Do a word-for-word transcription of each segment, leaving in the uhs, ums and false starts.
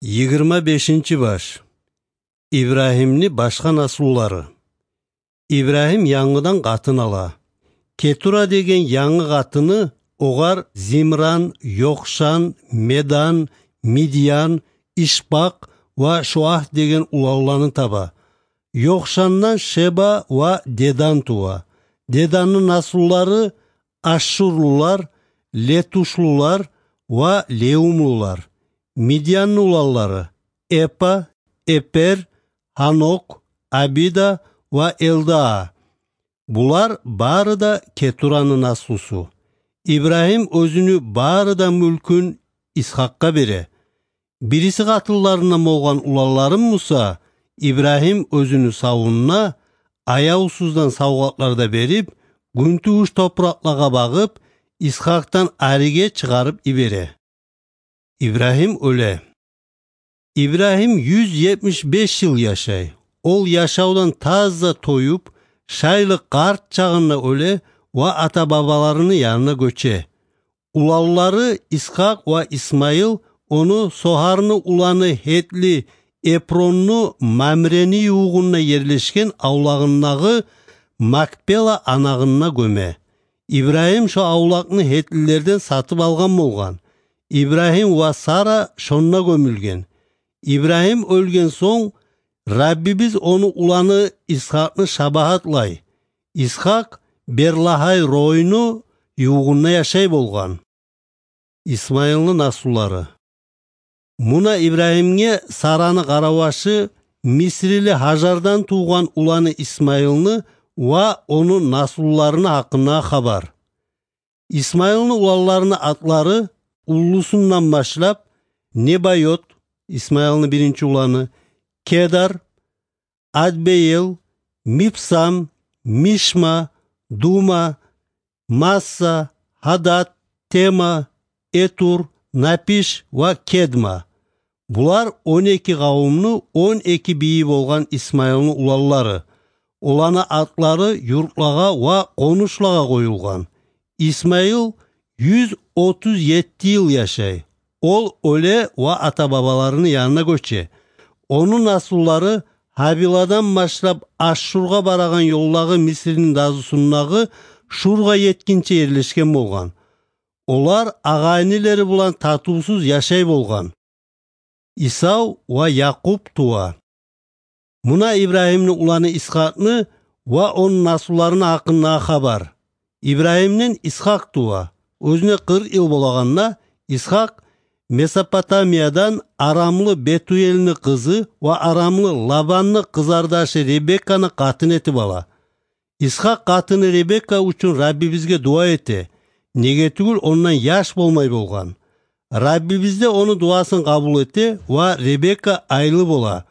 Йигирма бешинчи баш. Ибрагьимни башгъа наслулары. Ибрагьим янгыдан къатын ала. Кетура деген янгы къатыны огъар Зимран, Йокъшан, Медан, Мидьян, Ишбакъ ва Шоагь деген уланланы таба. Йокъшандан Шеба ва Дедан тува. Деданны наслулары ашшурлулар, летушлулар ва леумлулар. Мидьянны уланлары: Эпа, Эпер, Гьанокъ, Абида ва Элдаа. Булар бары да Кетураны наслусу. Ибрагьим оьзюню бары да мюлкюн Исхакъгъа бере. Бириси къатынларындан болгъан уланларын буса Ибрагьим оьзюню савунда аявсуздан савгъатлар да берип, гюнтувуш топуракълагъа багъып, Исхакъдан ариге чыгъарып йибере. Ибрагьим оьле. Ибрагьим юз етмиш беш йыл яшай. Ол яшавдан таза тоюп, шайлы къарт чагъында оьле ва ата-бабаларыны янына гёче. Уланлары Исхакъ ва Исмайыл ону Сохарны уланы гьетли Эпронну Мамрени ювугъунда ерлешген авлагъындагъы Макпела анагъында гёме. Ибрагьим шо авлакъны гьетлилерден сатып алгъан болгъан. Ибрагьим ва Сара шонда гёмюлген. Ибрагьим оьлген сонг, Раббибиз ону уланы Исхакъны шабагьатлай. Исхакъ Берлагьай-ройну ювугъунда яшай болгъан. Исмайылны наслулары. Муна Ибрагьимге Сараны къаравашы, мисрили Гьажардан тувгъан уланы Исмайылны ва ону наслуларыны гьакъындагъы хабар. Исмайылны уланларыны атлары, уллусундан башлап: Небайот, Исмайылны биринчи уланы, Кедар, Адбеел, Мипсам, Мишма, Дума, Масса, Гьадат, Тема, Этур, Напиш ва Кедма. Булар он эки къавумну он эки бийи болгъан Исмайылны уланлары. Оланы атлары юртлагъа ва къонушлагъа къоюлгъан. Исмайыл юз отуз етти йыл яшай. Ол оьле ва ата-бабаларыны янына гёче. Ону наслулары Гьавиладан башлап Ашшургъа барагъан ёлдагъы Мисрини дазусундагъы Шургъа етгинче ерлешген болгъан. Олар агъа-инилери булан татывсуз яшай болгъан. Исав ва Якъуб тува. Муна Ибрагьимни уланы Исхакъны ва ону наслуларыны гьакъындагъы хабар. Ибрагьимден Исхакъ тува. Оьзюне къыркъ йыл болагъанда, Исхакъ Месопотамиядан арамлы Бетуэлни къызы ва арамлы Лабанны къызардашы Ребекканы къатын этип ала. Исхакъ къатыны Ребекка учун Раббибизге дуа эте, неге тюгюл ондан яш болмай болгъан. Раббибиз де ону дуасын къабул эте ва Ребекка айлы бола.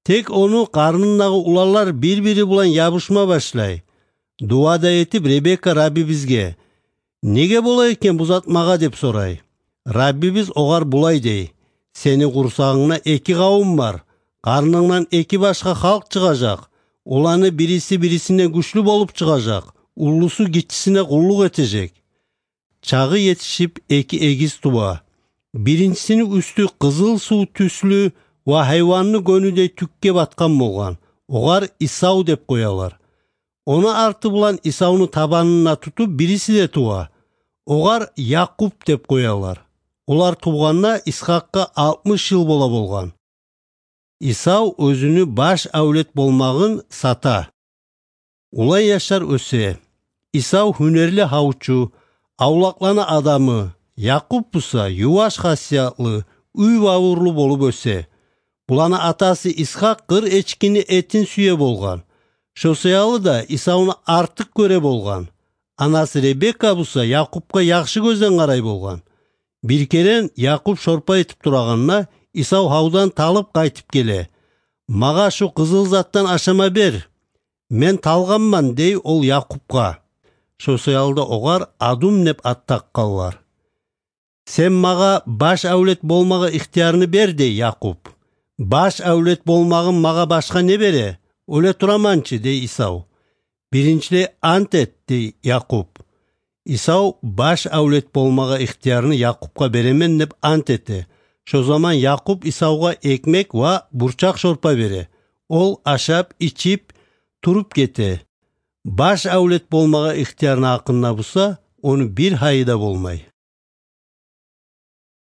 Тек ону къарнындагъы уланлар бир-бири булан ябушма башлай. Дуа да этип, Ребекка Раббибизге: «Неге бола экен бу зат магъа?» — деп сорай. Раббибиз огъар булай дей: «Сени къурсагъынгда эки къавум бар, къарнынгдан эки башгъа халкъ чыгъажакъ. Оланы бириси бирисинден гючлю болуп чыгъажакъ, уллусу гиччисине къуллукъ этежек». Чагъы етишип, эки эгиз тува. Биринчисини уьстю къызыл сув тюслю ва гьайванны гёнюдей тюкге батгъан болгъан. Огъар Исав деп къоялар. Ону арты булан Исавну табанына тутуп, бириси де тува. Огъар Якъуб деп къоялар. Олар тувгъанда Исхакъгъа алтмыш йыл бола болгъан. Исав оьзюню баш авлет болмагъын сата. Улан яшлар оьсе. Исав гьюнерли гьавчу, авлакъланы адамы, Якъуб буса юваш хасиятлы, уьйбавурлу болуп оьсе. Буланы атасы Исхакъ къыр эчкини этин сюе болгъан. Шо саялы да Исавну артыкъ гёре болгъан. Анасы Ребекка буса Якъубгъа яхшы гёзден къарай болгъан. Бир керен Якъуб шорпа этип турагъанда, Исав гьавдан талып къайтып геле. «Магъа шу къызыл затдан ашама бер. Мен талгъанман», — дей ол Якъубгъа. Шо саялы да огъар Адум деп ат такъгъанлар. «Сен магъа баш авлет болмагъа ихтиярны бер», — дей Якъуб. «Баш авлет болмагъым магъа башгъа не бере? Оьле тураманчы», — дей Исав. «Биринчилей ант эт», — дей Якъуб. Исав баш авлет болмагъа ихтиярны Якъубгъа беремен деп ант эте. Шо заман Якъуб Исавгъа экмек ва бурчакъ шорпа бере. Ол ашап, ичип, туруп гете. Баш авлет болмагъа ихтиярны гьакъында буса, ону бир гьайы да болмай.